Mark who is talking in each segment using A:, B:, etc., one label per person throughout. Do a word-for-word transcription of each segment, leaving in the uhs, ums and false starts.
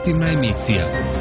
A: informativna emisija.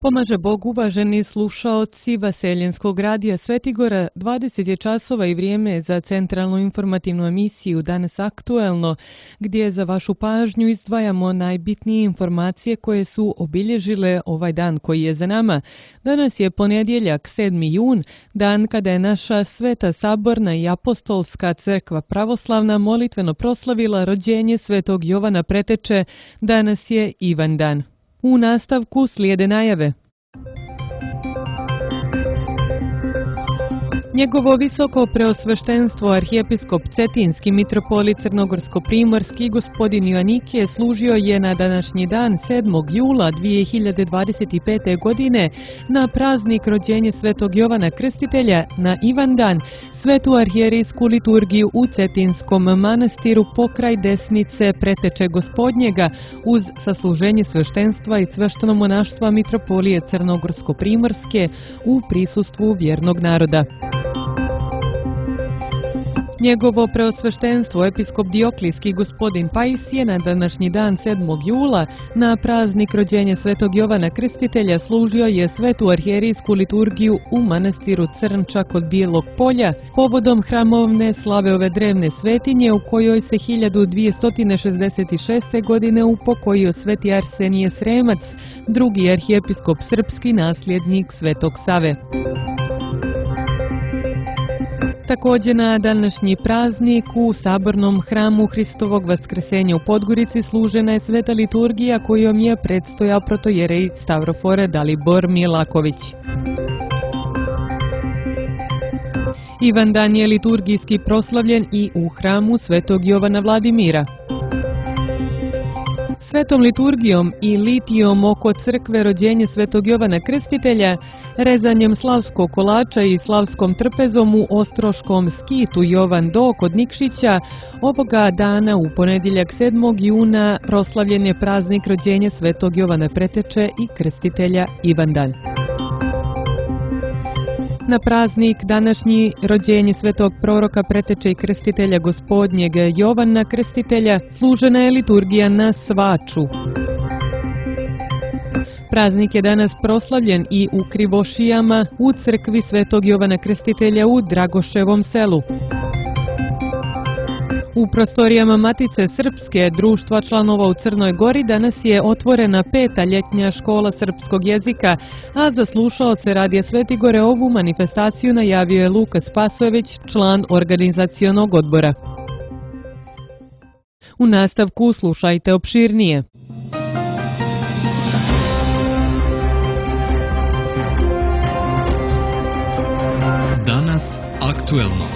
B: Pomaže Bog, uvaženi slušaoci Vaseljenskog radija Svetigora, dvadeset je časova i vrijeme za centralnu informativnu emisiju Danas aktuelno, gdje za vašu pažnju izdvajamo najbitnije informacije koje su obilježile ovaj dan koji je za nama. Danas je ponedjeljak, sedmi jun, dan kada je naša Sveta Saborna i Apostolska crkva pravoslavna molitveno proslavila rođenje Svetog Jovana Preteče. Danas je Ivandan. U nastavku slijede najave. Njegovo visoko preosveštenstvo arhijepiskop Cetinski mitropolit Crnogorsko-primorski gospodin Joanikije služio je na današnji dan sedmog jula dvije hiljade dvadeset pete. godine na praznik rođenja Svetog Jovana Krstitelja na Ivandan, svetu arhijerijsku liturgiju u Cetinskom manastiru pokraj desnice Preteče Gospodnjega uz sasluženje sveštenstva i sveštenomonaštva mitropolije Crnogorsko-primorske u prisustvu vjernog naroda. Njegovo preosveštenstvo episkop Dioklijski gospodin Pais je na današnji dan sedmog jula na praznik rođenja Svetog Jovana Krstitelja služio je svetu arhijerijsku liturgiju u manastiru Crnča kod Bijelog polja povodom hramovne slave ove drevne svetinje u kojoj se hiljadu dvjesto šezdeset šeste. godine upokojio sveti Arsenije Sremac, drugi arhijepiskop srpski nasljednik Svetog Save. Također na današnji praznik u Sabornom hramu Hristovog Vaskrsenja u Podgorici služena je sveta liturgija kojom je predstojao protojerej Stavrofore Dalibor Milaković. Ivandan je liturgijski proslavljen i u hramu Svetog Jovana Vladimira. Svetom liturgijom i litijom oko crkve rođenja Svetog Jovana Krstitelja, rezanjem slavskog kolača i slavskom trpezom u ostroškom skitu Jovan Do kod Nikšića, ovoga dana u ponedjeljak sedmog juna proslavljen je praznik rođenja Svetog Jovana Preteče i Krstitelja Ivandan. Na praznik današnji rođenje Svetog proroka Preteče i Krstitelja Gospodnjeg Jovana Krstitelja služena je liturgija na Svaču. Praznik je danas proslavljen i u Krivošijama u crkvi Svetog Jovana Krstitelja u Dragoševom selu. U prostorijama Matice Srpske društva članova u Crnoj Gori danas je otvorena peta ljetnja škola srpskog jezika, a za slušaoce Radija Svetigore ovu manifestaciju najavio je Luka Spasojević, član organizacionog odbora. U nastavku slušajte opširnije.
A: Danas aktuelno.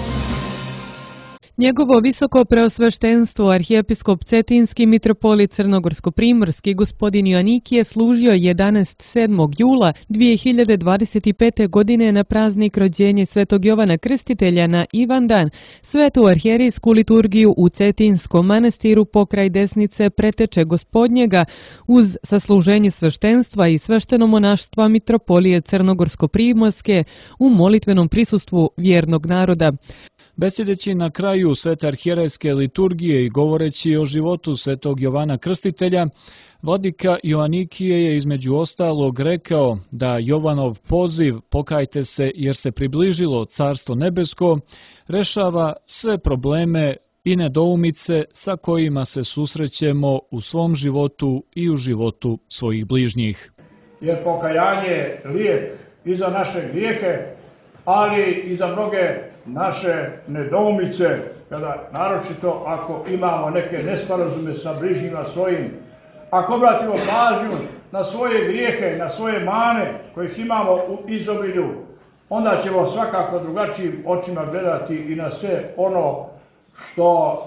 B: Njegovo visoko preosveštenstvo arhijepiskop Cetinski mitropolit Crnogorsko-primorski gospodin Joanikije služio je danas sedmog jula dvije hiljade dvadeset pete. godine na praznik rođenja Svetog Jovana Krstitelja na Ivandan, svetu arhijerijsku liturgiju u Cetinskom manastiru pokraj desnice Preteče Gospodnjega uz sasluženje sveštenstva i sveštenomonaštva mitropolije Crnogorsko-primorske u molitvenom prisustvu vjernog naroda.
C: Besjedeći na kraju svete arhijerejske liturgije i govoreći o životu Svetog Jovana Krstitelja, vladika Joanikije je između ostalog rekao da Jovanov poziv "Pokajte se jer se približilo Carstvo nebesko" rešava sve probleme i nedoumice sa kojima se susrećemo u svom životu i u životu svojih bližnjih.
D: Jer pokajanje je lijek i za naše grijehe, ali i za mnoge naše nedoumice, kada naročito ako imamo neke nesporazume sa bližnjima svojim, ako obratimo pažnju na svoje grijehe, na svoje mane kojih imamo u izobilju, onda ćemo svakako drugačijim očima gledati i na sve ono što,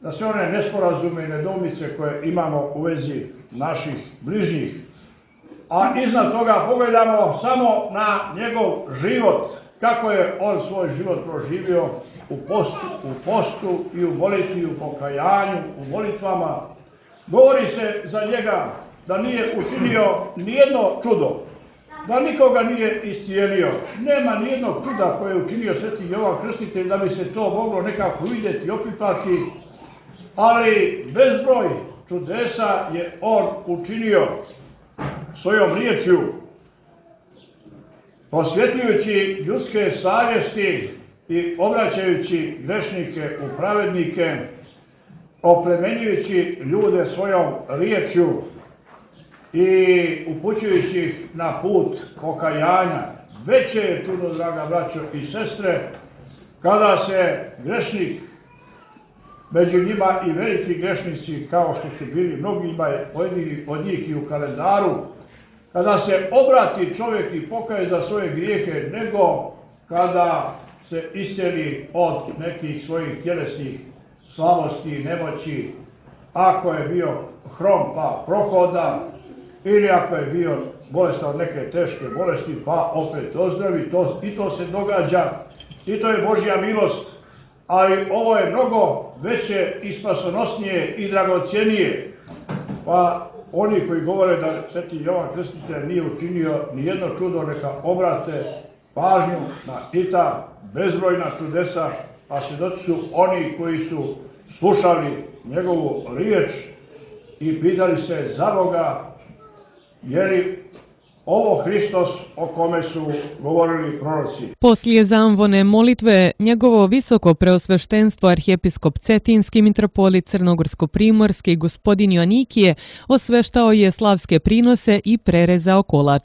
D: na sve one nesporazume i nedoumice koje imamo u vezi naših bližnjih. A iznad toga pogledamo samo na njegov život, kako je on svoj život proživio u postu, u postu i u molitvi, u pokajanju, u molitvama. Govori se za njega da nije učinio nijedno čudo, da nikoga nije iscijelio. Nema nijednog čuda koje je učinio Sveti Jovan Krstitelj da bi se to moglo nekako vidjeti i opipati, ali bezbroj čudesa je on učinio svojom riječju, posvjetljujući ljudske savjesti i obraćajući grešnike u pravednike, oplemenjujući ljude svojom riječju i upućujući ih na put pokajanja. Veće je čudo, draga braćo i sestre, kada se grešnik, među njima i veliki grešnici, kao što su bili mnogi od njih i u kalendaru, kada se obrati čovjek i pokaje za svoje grijehe, nego kada se isceli od nekih svojih tjelesnih slabosti i nemoći, ako je bio hrom pa prohoda, ili ako je bio bolestan od neke teške bolesti pa opet ozdravi, to, i to se događa, i to je Božja milost, ali ovo je mnogo veće i spasonosnije i dragocjenije. Pa oni koji govore da sveti Jovan Krstitelj nije učinio ni jedno čudo, neka obrate pažnju na i ta bezbrojna čudesa, a svjedoci su oni koji su slušali njegovu riječ i pitali se za Boga, je li ovo Hristos o kome su govorili proroci.
B: Poslije zamvone molitve, njegovo visoko preosveštenstvo arhijepiskop Cetinski, mitropolit Crnogorsko-primorski gospodin Joanikije osveštao je slavske prinose i prerezao kolač.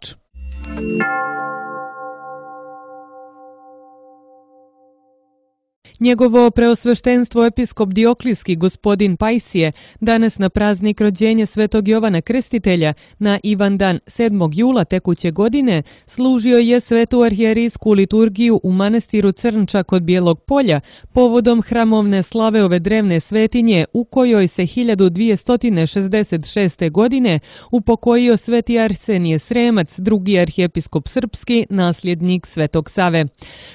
B: Njegovo preosveštenstvo episkop Dioklijski gospodin Pajsije danas na praznik rođenja svetog Jovana Krstitelja na Ivandan sedmog jula tekuće godine služio je svetu arhijerijsku liturgiju u manastiru Crnča kod Bijelog polja povodom hramovne slave ove drevne svetinje u kojoj se hiljadu dvjesto šezdeset šeste. godine upokojio sveti Arsenije Sremac, drugi arhijepiskop srpski, nasljednik svetog Save.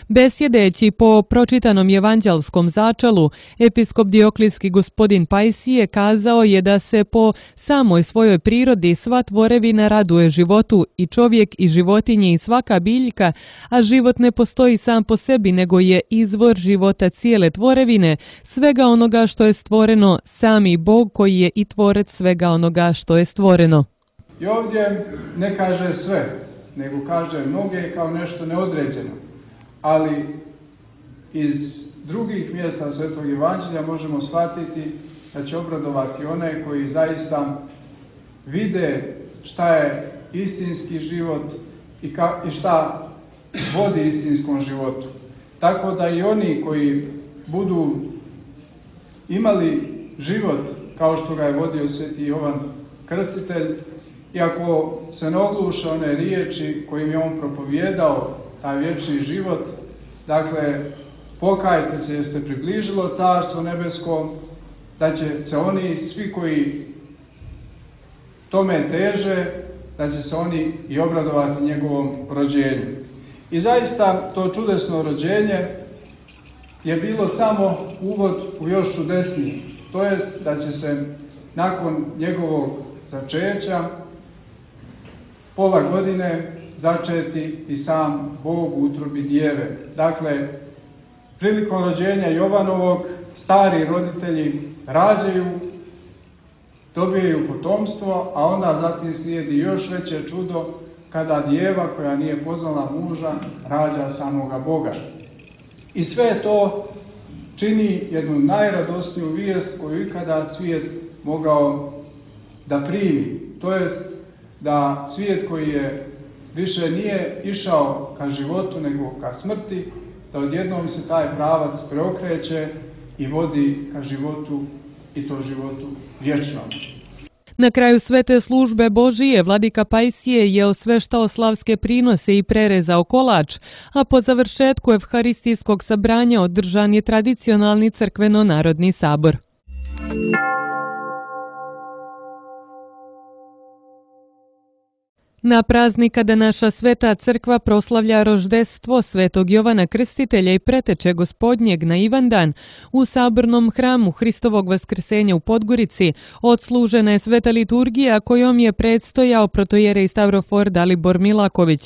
B: Besjedeći po pročitanom evanđelskom začalu, episkop Dioklijski gospodin Pajsije kazao je da se po samoj svojoj prirodi sva tvorevina raduje životu, i čovjek i životinje i svaka biljka, a život ne postoji sam po sebi, nego je izvor života cijele tvorevine, svega onoga što je stvoreno, sami Bog koji je i tvorac svega onoga što je stvoreno.
E: I ovdje ne kaže sve, nego kaže mnoge kao nešto neodređeno. Ali iz drugih mjesta Svetog Evanđelja možemo shvatiti da će obradovati one koji zaista vide šta je istinski život i, ka, i šta vodi istinskom životu. Tako da i oni koji budu imali život kao što ga je vodio sveti Jovan Krstitelj, i ako se ne ogluše one riječi kojim je on propovijedao taj vječni život, dakle, pokajte se jer ste približilo Carstvo nebesko, da će se oni, svi koji tome teže, da će se oni i obradovati njegovom rođenju. I zaista to čudesno rođenje je bilo samo uvod u još čudesnije. To je da će se nakon njegovog začeća pola godine začeti i sam Bog u utrobi djeve. Dakle, prilikom rođenja Jovanovog stari roditelji rađaju, dobijaju potomstvo, a onda zatim slijedi još veće čudo kada djeva koja nije poznala muža rađa samoga Boga. I sve to čini jednu najradosniju vijest koju ikada svijet mogao da primi. To je da svijet koji je više nije išao ka životu nego ka smrti, da odjednom se taj pravac preokreće i vodi ka životu, i to životu vječnom.
B: Na kraju svete službe Božije vladika Pajsije je osveštao slavske prinose i prerezao kolač, a po završetku evharistijskog sabranja održan je tradicionalni crkveno-narodni sabor. Na praznik kada naša sveta crkva proslavlja roždestvo svetog Jovana Krstitelja i preteče gospodnjeg na Ivandan, u sabornom hramu Hristovog vaskrsenja u Podgorici odslužena je sveta liturgija kojom je predstojao protojerej Stavrofor Dalibor Milaković.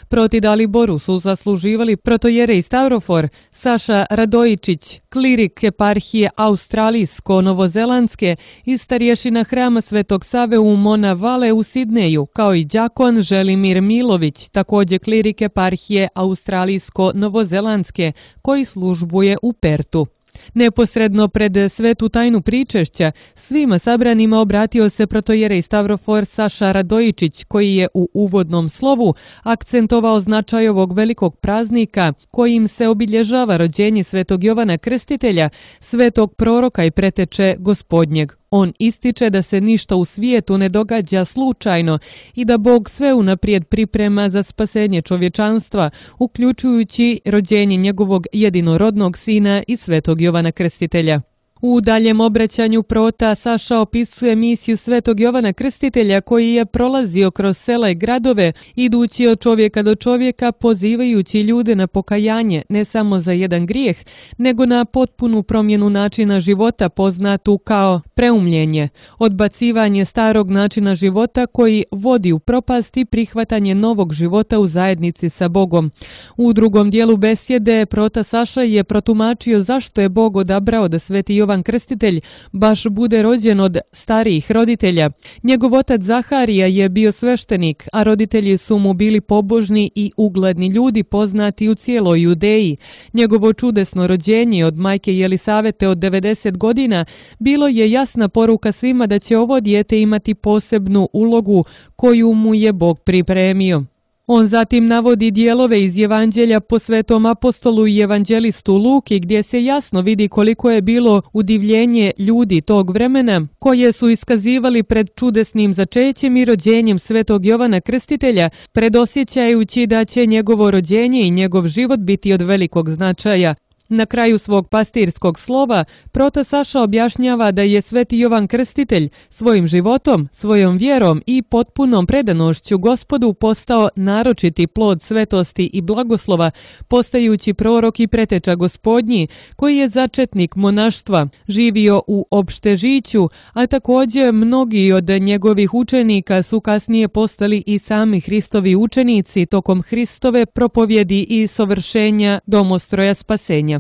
B: Proti Daliboru su zasluživali protojerej Stavrofor, Saša Radojičić, klirik eparhije Australijsko-Novozelandske i starješina hrama Svetog Save u Mona Vale u Sidneju, kao i đakon Želimir Milović, također klirik eparhije Australijsko-Novozelandske, koji službuje u Pertu. Neposredno pred svetu tajnu pričešća, svima sabranima obratio se protojerej Stavrofor Saša Radojičić, koji je u uvodnom slovu akcentovao značaj ovog velikog praznika, kojim se obilježava rođenje Svetog Jovana Krstitelja, svetog proroka i preteče Gospodnjeg. On ističe da se ništa u svijetu ne događa slučajno i da Bog sve unaprijed priprema za spasenje čovječanstva, uključujući rođenje njegovog jedinorodnog sina i Svetog Jovana Krstitelja. U daljem obraćanju prota Saša opisuje misiju Svetog Jovana Krstitelja, koji je prolazio kroz sela i gradove, idući od čovjeka do čovjeka, pozivajući ljude na pokajanje ne samo za jedan grijeh, nego na potpunu promjenu načina života poznatu kao preumljenje, odbacivanje starog načina života koji vodi u propast i prihvatanje novog života u zajednici sa Bogom. U drugom dijelu besjede prota Saša je protumačio zašto je Bog odabrao da Sveti Jovan Krstitelj baš bude rođen od starijih roditelja. Njegov otac Zaharija je bio sveštenik, a roditelji su mu bili pobožni i ugledni ljudi poznati u cijeloj Judeji. Njegovo čudesno rođenje od majke Jelisavete od devedeset godina bilo je jasna poruka svima da će ovo dijete imati posebnu ulogu koju mu je Bog pripremio. On zatim navodi dijelove iz Evanđelja po svetom apostolu i evanđelistu Luki, gdje se jasno vidi koliko je bilo udivljenje ljudi tog vremena, koje su iskazivali pred čudesnim začećem i rođenjem Svetog Jovana Krstitelja, predosjećajući da će njegovo rođenje i njegov život biti od velikog značaja. Na kraju svog pastirskog slova, prota Saša objašnjava da je Sveti Jovan Krstitelj svojim životom, svojom vjerom i potpunom predanošću Gospodu postao naročiti plod svetosti i blagoslova, postajući prorok i preteča Gospodnji, koji je začetnik monaštva, živio u opštežiću, a također mnogi od njegovih učenika su kasnije postali i sami Hristovi učenici tokom Hristove propovjedi i sovršenja domostroja spasenja.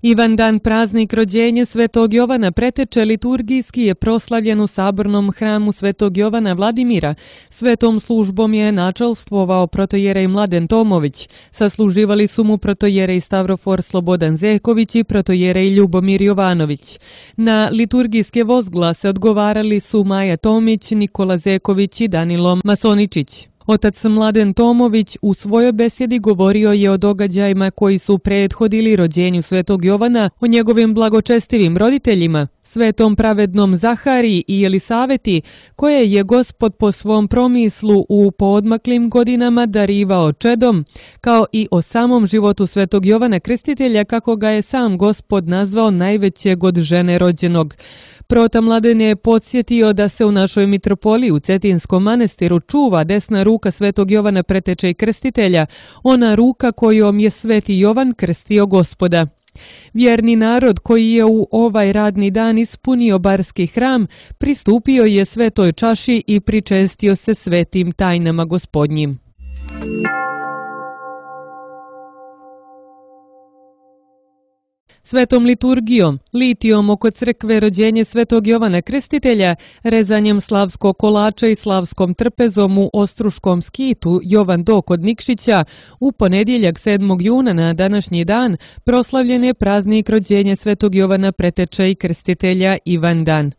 B: Ivandan, praznik rođenja Svetog Jovana preteče, liturgijski je proslavljen u sabornom hramu Svetog Jovana Vladimira. Svetom službom je načelstvovao protojerej Mladen Tomović. Sasluživali su mu protojerej Stavrofor Slobodan Zeković i protojerej Ljubomir Jovanović. Na liturgijske vozglase odgovarali su Maja Tomić, Nikola Zeković i Danilo Masoničić. Otac Mladen Tomović u svojoj besjedi govorio je o događajima koji su prethodili rođenju Svetog Jovana, o njegovim blagočestivim roditeljima, svetom pravednom Zahariji i Jelisaveti, koje je Gospod po svom promislu u poodmaklim godinama darivao čedom, kao i o samom životu Svetog Jovana Krstitelja, kako ga je sam Gospod nazvao najvećeg od žene rođenog. Prota Mladen je podsjetio da se u našoj mitropoliji u Cetinskom manastiru čuva desna ruka Svetog Jovana preteče i krstitelja, ona ruka kojom je Sveti Jovan krstio Gospoda. Vjerni narod koji je u ovaj radni dan ispunio barski hram, pristupio je svetoj čaši i pričestio se svetim tajnama Gospodnjim. Svetom liturgijom, litijom oko crkve rođenje Svetog Jovana Krstitelja, rezanjem slavskog kolača i slavskom trpezom u Ostruškom skitu Jovan Do kod Nikšića, u ponedjeljak sedmog juna na današnji dan proslavljen je praznik rođenja Svetog Jovana preteče i krstitelja Ivandan.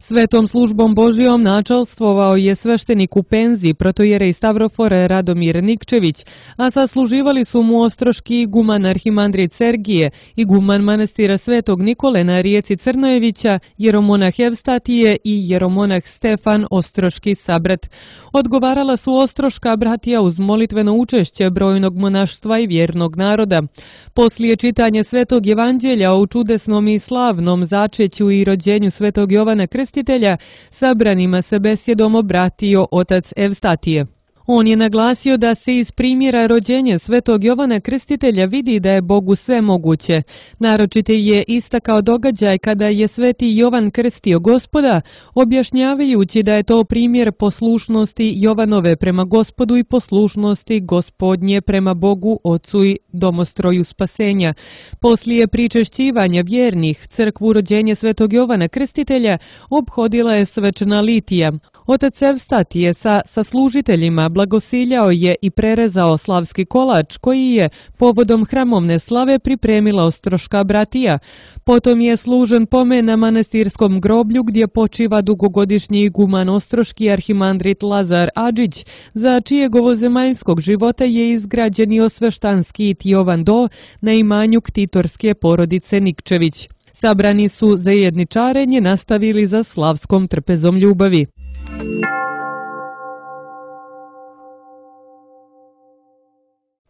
B: Svetom službom Božijom načelstvovao je sveštenik u penziji protojerej Stavrofor Radomir Nikčević, a sasluživali su mu ostroški iguman arhimandrit Sergije, iguman manastira Svetog Nikole na rijeci Crnojevića, jeromonah Evstatije i jeromonah Stefan Ostroški sabrat. Odgovarala su ostroška bratija uz molitveno učešće brojnog monaštva i vjernog naroda. Poslije čitanja Svetog Evanđelja o čudesnom i slavnom začeću i rođenju Svetog Jovana Krstitelja, sabranima se besjedom obratio otac Evstatije. On je naglasio da se iz primjera rođenja svetog Jovana Krstitelja vidi da je Bogu sve moguće. Naročito je istakao događaj kada je sveti Jovan krstio Gospoda, objašnjavajući da je to primjer poslušnosti Jovanove prema Gospodu i poslušnosti Gospodnje prema Bogu, Ocu i domostroju spasenja. Poslije pričešćivanja vjernih, crkvu rođenja svetog Jovana Krstitelja obhodila je svečana litija. Otac Evstat je sa saslužiteljima blagosiljao je i prerezao slavski kolač koji je povodom hramovne slave pripremila Ostroška bratija. Potom je služen pomen na manastirskom groblju gdje počiva dugogodišnji iguman ostroški arhimandrit Lazar Adžić, za čijeg ovozemaljskog života je izgrađen i osveštanski Jovan Do na imanju ktitorske porodice Nikčević. Sabrani su za jedničarenje nastavili za slavskom trpezom ljubavi.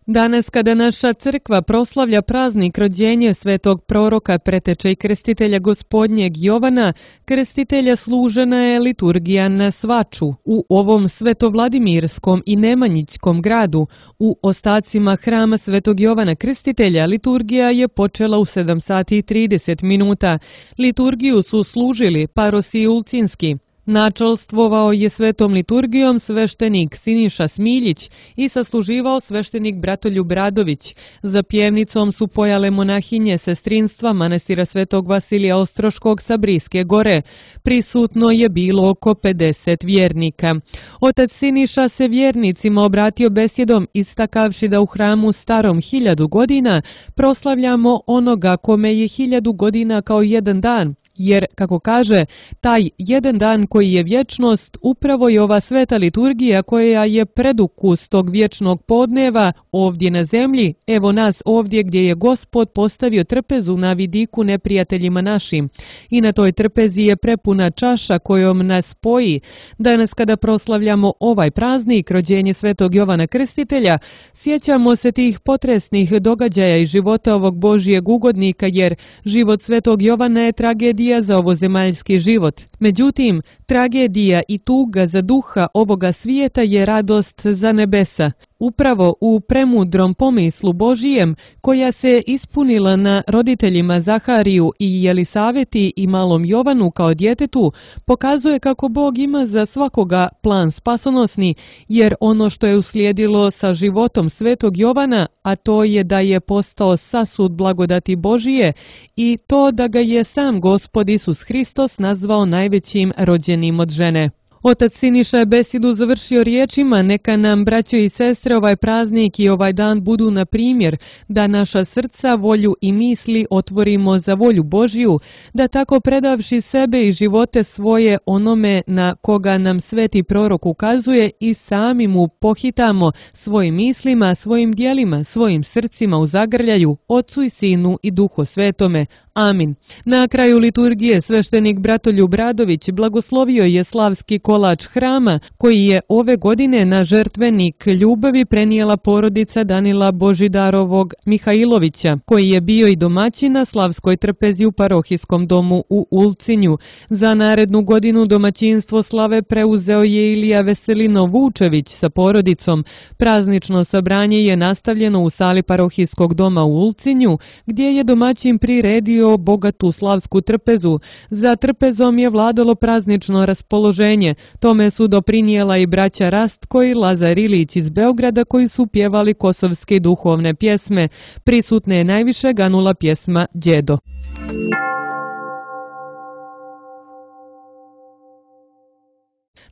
B: Danas, kada naša crkva proslavlja praznik rođenja svetog proroka, preteče i krstitelja Gospodnjeg Jovana, krstitelja služena je liturgija na svaču u ovom svetovladimirskom i nemanjićkom gradu. U ostacima hrama svetog Jovana Krstitelja liturgija je počela u sedam sati i trideset minuta. Liturgiju su služili parosi Ulcinski. Načelstvovao je svetom liturgijom sveštenik Siniša Smiljić i sasluživao sveštenik Bratoljub Radović. Za pjevnicom su pojale monahinje sestrinstva manastira svetog Vasilija Ostroškog sa Briske gore. Prisutno je bilo oko pedeset vjernika. Otac Siniša se vjernicima obratio besjedom, istakavši da u hramu starom hiljadu godina proslavljamo onoga kome je hiljadu godina kao jedan dan. Jer, kako kaže, taj jedan dan koji je vječnost, upravo je ova sveta liturgija koja je predukus tog vječnog podneva ovdje na zemlji, evo nas ovdje gdje je Gospod postavio trpezu na vidiku neprijateljima našim. I na toj trpezi je prepuna čaša kojom nas spoji. Danas kada proslavljamo ovaj praznik, rođenje svetog Jovana Krstitelja, sjećamo se tih potresnih događaja i života ovog Božijeg ugodnika, jer život svetog Jovana je tragedija za ovozemaljski život. Međutim, tragedija i tuga za duha ovoga svijeta je radost za nebesa. Upravo u premudrom pomislu Božijem, koja se ispunila na roditeljima Zahariju i Jelisaveti i malom Jovanu kao djetetu, pokazuje kako Bog ima za svakoga plan spasonosni, jer ono što je uslijedilo sa životom svetog Jovana, a to je da je postao sasud blagodati Božije i to da ga je sam Gospod Isus Hristos nazvao najvećim rođenim od žene. Otac Siniša je besjedu završio riječima: neka nam, braćo i sestre, ovaj praznik i ovaj dan budu na primjer, da naša srca, volju i misli otvorimo za volju Božju, da tako predavši sebe i živote svoje onome na koga nam sveti prorok ukazuje i sami mu pohitamo svojim mislima, svojim dijelima, svojim srcima u zagrljaju, Otcu i Sinu i Duhu Svetome. Amin. Na kraju liturgije sveštenik Bratoljub Radović blagoslovio je slavski kolač hrama koji je ove godine na žrtvenik ljubavi prenijela porodica Danila Božidarovog Mihajlovića, koji je bio i domaćin na slavskoj trpezi u parohijskom domu u Ulcinju. Za narednu godinu domaćinstvo slave preuzeo je Ilija Veselino Vučević sa porodicom. Praznično sabranje je nastavljeno u sali parohijskog doma u Ulcinju, gdje je domaćin priredio bogatu slavsku trpezu. Za trpezom je vladalo praznično raspoloženje. Tome su doprinijela i braća Rastko i Lazar Ilić iz Beograda, koji su pjevali kosovske duhovne pjesme. Prisutne je najviše ganula pjesma Đedo.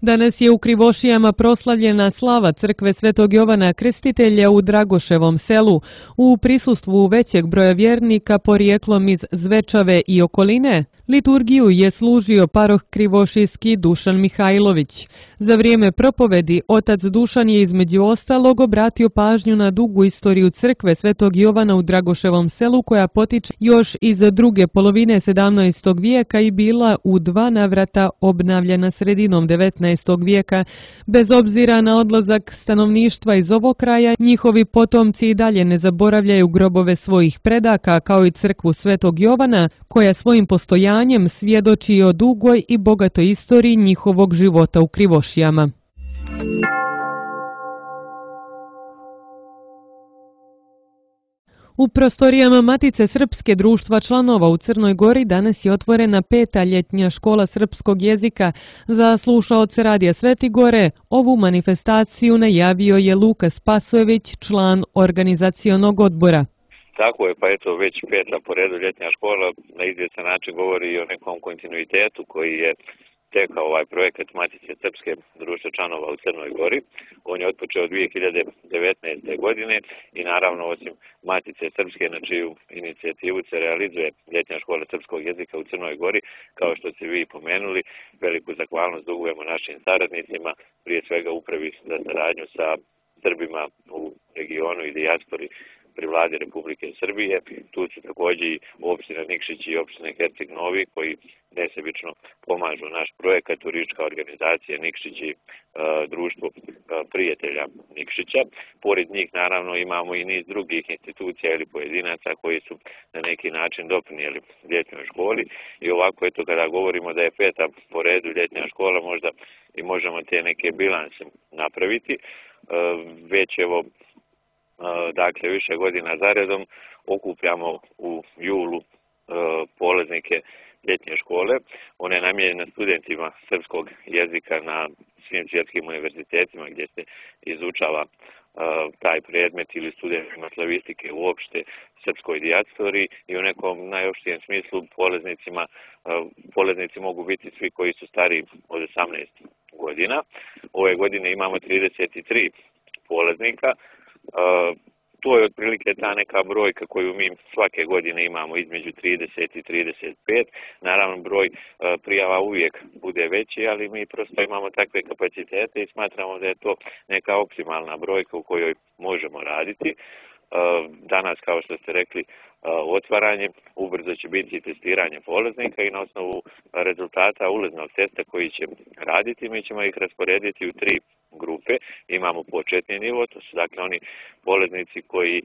B: Danas je u Krivošijama proslavljena slava crkve svetog Jovana Krstitelja u Dragoševom selu. U prisustvu većeg broja vjernika porijeklom iz Zvečave i okoline, liturgiju je služio paroh krivošijski Dušan Mihajlović. Za vrijeme propovedi otac Dušan je između ostalog obratio pažnju na dugu istoriju crkve svetog Jovana u Dragoševom selu, koja potiče još iz druge polovine sedamnaestog vijeka i bila u dva navrata obnavljana sredinom devetnaestog vijeka. Bez obzira na odlazak stanovništva iz ovog kraja, njihovi potomci i dalje ne zaboravljaju grobove svojih predaka, kao i crkvu svetog Jovana, koja svojim postojanjem svjedoči o dugoj i bogatoj istoriji njihovog života u Krivošijama. U prostorijama Matice Srpske društva članova u Crnoj Gori danas je otvorena peta ljetnja škola srpskog jezika. Za slušaoce Radija Svetigore ovu manifestaciju najavio je Luka Spasojević, član organizacionog odbora.
F: Tako je, pa eto već peta po redu ljetnja škola na izvjestan način govori i o nekom kontinuitetu koji je tekao ovaj projekat Matice Srpske društva članova u Crnoj Gori. On je otpočeo dvije hiljade devetnaeste. godine i naravno osim Matice Srpske na čiju inicijativu se realizuje ljetnja škola srpskog jezika u Crnoj Gori, kao što ste vi pomenuli, veliku zahvalnost dugujemo našim saradnicima, prije svega upravi za saradnju sa Srbima u regionu i dijaspori pri vladi Republike Srbije. Tu su također i opština Nikšić i opština Herceg Novi koji nesebično pomažu naš projekat, turistička organizacija Nikšić i e, društvo e, prijatelja Nikšića. Pored njih naravno imamo i niz drugih institucija ili pojedinaca koji su na neki način doprinijeli ljetnjoj školi i ovako eto kada govorimo da je peta po redu ljetnja škola možda i možemo te neke bilanse napraviti. E, već evo dakle više godina zaredom okupljamo u julu polaznike ljetnje škole. Ona je namijenjena studentima srpskog jezika na svim svjetskim univerzitetima gdje se izučava taj predmet ili studentima slavistike uopšte srpskoj dijaspori i u nekom najopštijem smislu polaznicima, polaznici mogu biti svi koji su stariji od osamnaest godina. Ove godine imamo trideset tri polaznika. Uh, to je otprilike ta neka brojka koju mi svake godine imamo između trideset i trideset pet. Naravno broj uh, prijava uvijek bude veći, ali mi prosto imamo takve kapacitete i smatramo da je to neka optimalna brojka u kojoj možemo raditi. Uh, danas, kao što ste rekli, uh, otvaranje, ubrzo će biti testiranje polaznika i na osnovu rezultata ulaznog testa koji će raditi, mi ćemo ih rasporediti u tri grupe. Imamo početni nivo, to su dakle oni polaznici koji e,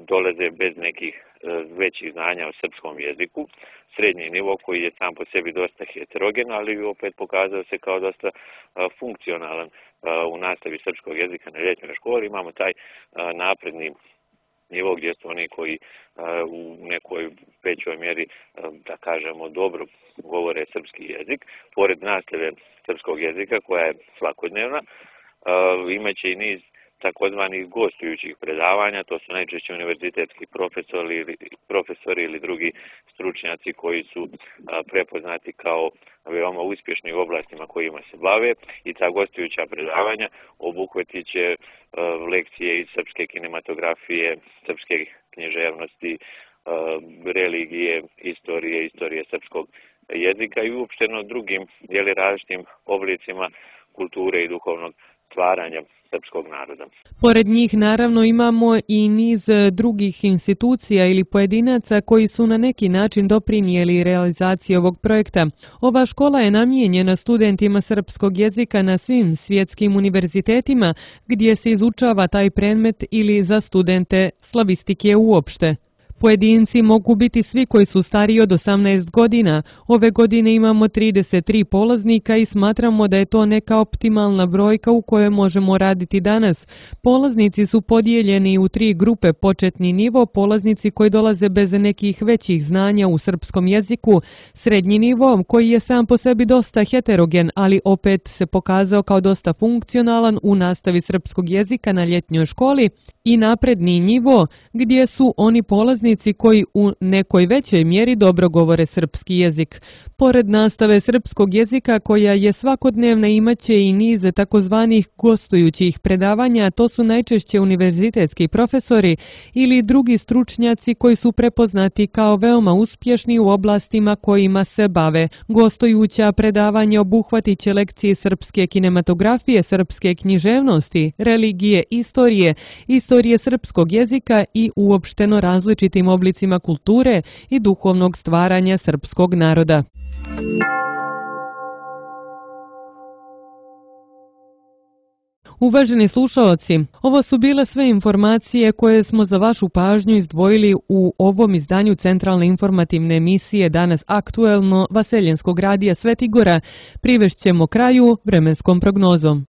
F: dolaze bez nekih e, većih znanja o srpskom jeziku. Srednji nivo koji je sam po sebi dosta heterogen, ali opet pokazao se kao dosta e, funkcionalan e, u nastavi srpskog jezika na ljetnjoj školi. Imamo taj e, napredni nivo gdje su oni koji uh, u nekoj većoj mjeri, uh, da kažemo, dobro govore srpski jezik. Pored nastave srpskog jezika koja je svakodnevna, uh, imaće i niz takozvanih gostujućih predavanja, to su najčešće univerzitetski profesori ili, profesori ili drugi stručnjaci koji su a, prepoznati kao veoma uspješni u oblastima kojima se bave i ta gostujuća predavanja obuhvatit će a, lekcije iz srpske kinematografije, srpske književnosti, a, religije, istorije, istorije srpskog jezika i uopšteno drugim jeli, različitim oblicima kulture i duhovnog stvaranja srpskog naroda.
B: Pored njih naravno imamo i niz drugih institucija ili pojedinaca koji su na neki način doprinijeli realizaciji ovog projekta. Ova škola je namijenjena studentima srpskog jezika na svim svjetskim univerzitetima gdje se izučava taj predmet ili za studente slavistike uopšte. Pojedinci mogu biti svi koji su stariji od osamnaest godina. Ove godine imamo trideset tri polaznika i smatramo da je to neka optimalna brojka u kojoj možemo raditi danas. Polaznici su podijeljeni u tri grupe: početni nivo, polaznici koji dolaze bez nekih većih znanja u srpskom jeziku, srednji nivo koji je sam po sebi dosta heterogen, ali opet se pokazao kao dosta funkcionalan u nastavi srpskog jezika na ljetnjoj školi, i napredni nivo gdje su oni polaznici koji u nekoj većoj mjeri dobro govore srpski jezik. Pored nastave srpskog jezika koja je svakodnevna, imaće i niz takozvanih gostujućih predavanja, to su najčešće univerzitetski profesori ili drugi stručnjaci koji su prepoznati kao veoma uspješni u oblastima kojima se bave. Gostujuća predavanja obuhvatit će lekcije srpske kinematografije, srpske književnosti, religije, istorije, istorije srpskog jezika i uopšteno različitim oblicima kulture i duhovnog stvaranja srpskog naroda. Uvaženi slušaoci, ovo su bile sve informacije koje smo za vašu pažnju izdvojili u ovom izdanju centralne informativne emisije Danas aktuelno Vaseljenskog radija Svetigora. Privešćemo kraju vremenskom prognozom.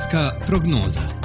A: Vremenska prognoza.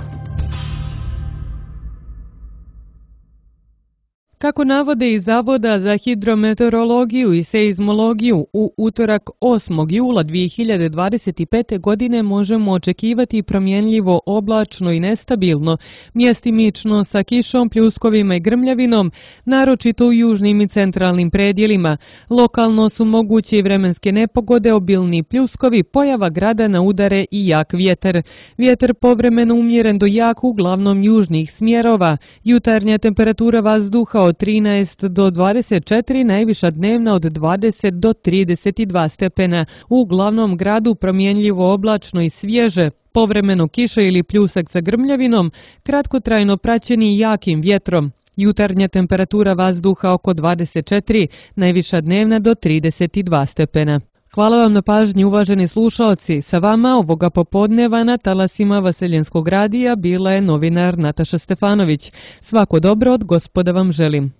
B: Kako navode iz Zavoda za hidrometeorologiju i seizmologiju, u utorak osmog jula dvije hiljade dvadeset pete. godine možemo očekivati promjenljivo oblačno i nestabilno, mjestimično sa kišom, pljuskovima i grmljavinom, naročito u južnim i centralnim predjelima. Lokalno su moguće i vremenske nepogode, obilni pljuskovi, pojava grada na udare i jak vjetar. Vjetar povremeno umjeren do jak uglavnom južnih smjerova. Jutarnja temperatura vazduha od trinaest do dvadeset četiri, najviša dnevna od dvadeset do trideset dva stepena. U glavnom gradu promjenljivo oblačno i svježe, povremeno kiša ili pljusak sa grmljavinom, kratkotrajno praćeni jakim vjetrom. Jutarnja temperatura vazduha oko dvadeset četiri, najviša dnevna do trideset dva stepena. Hvala vam na pažnji, uvaženi slušalci. Sa vama ovoga popodneva na talasima Vaseljenskog radija bila je novinar Nataša Stefanović. Svako dobro od Gospoda vam želim.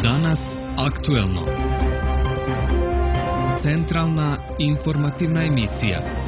A: Danas aktuelno. Centralna informativna emisija.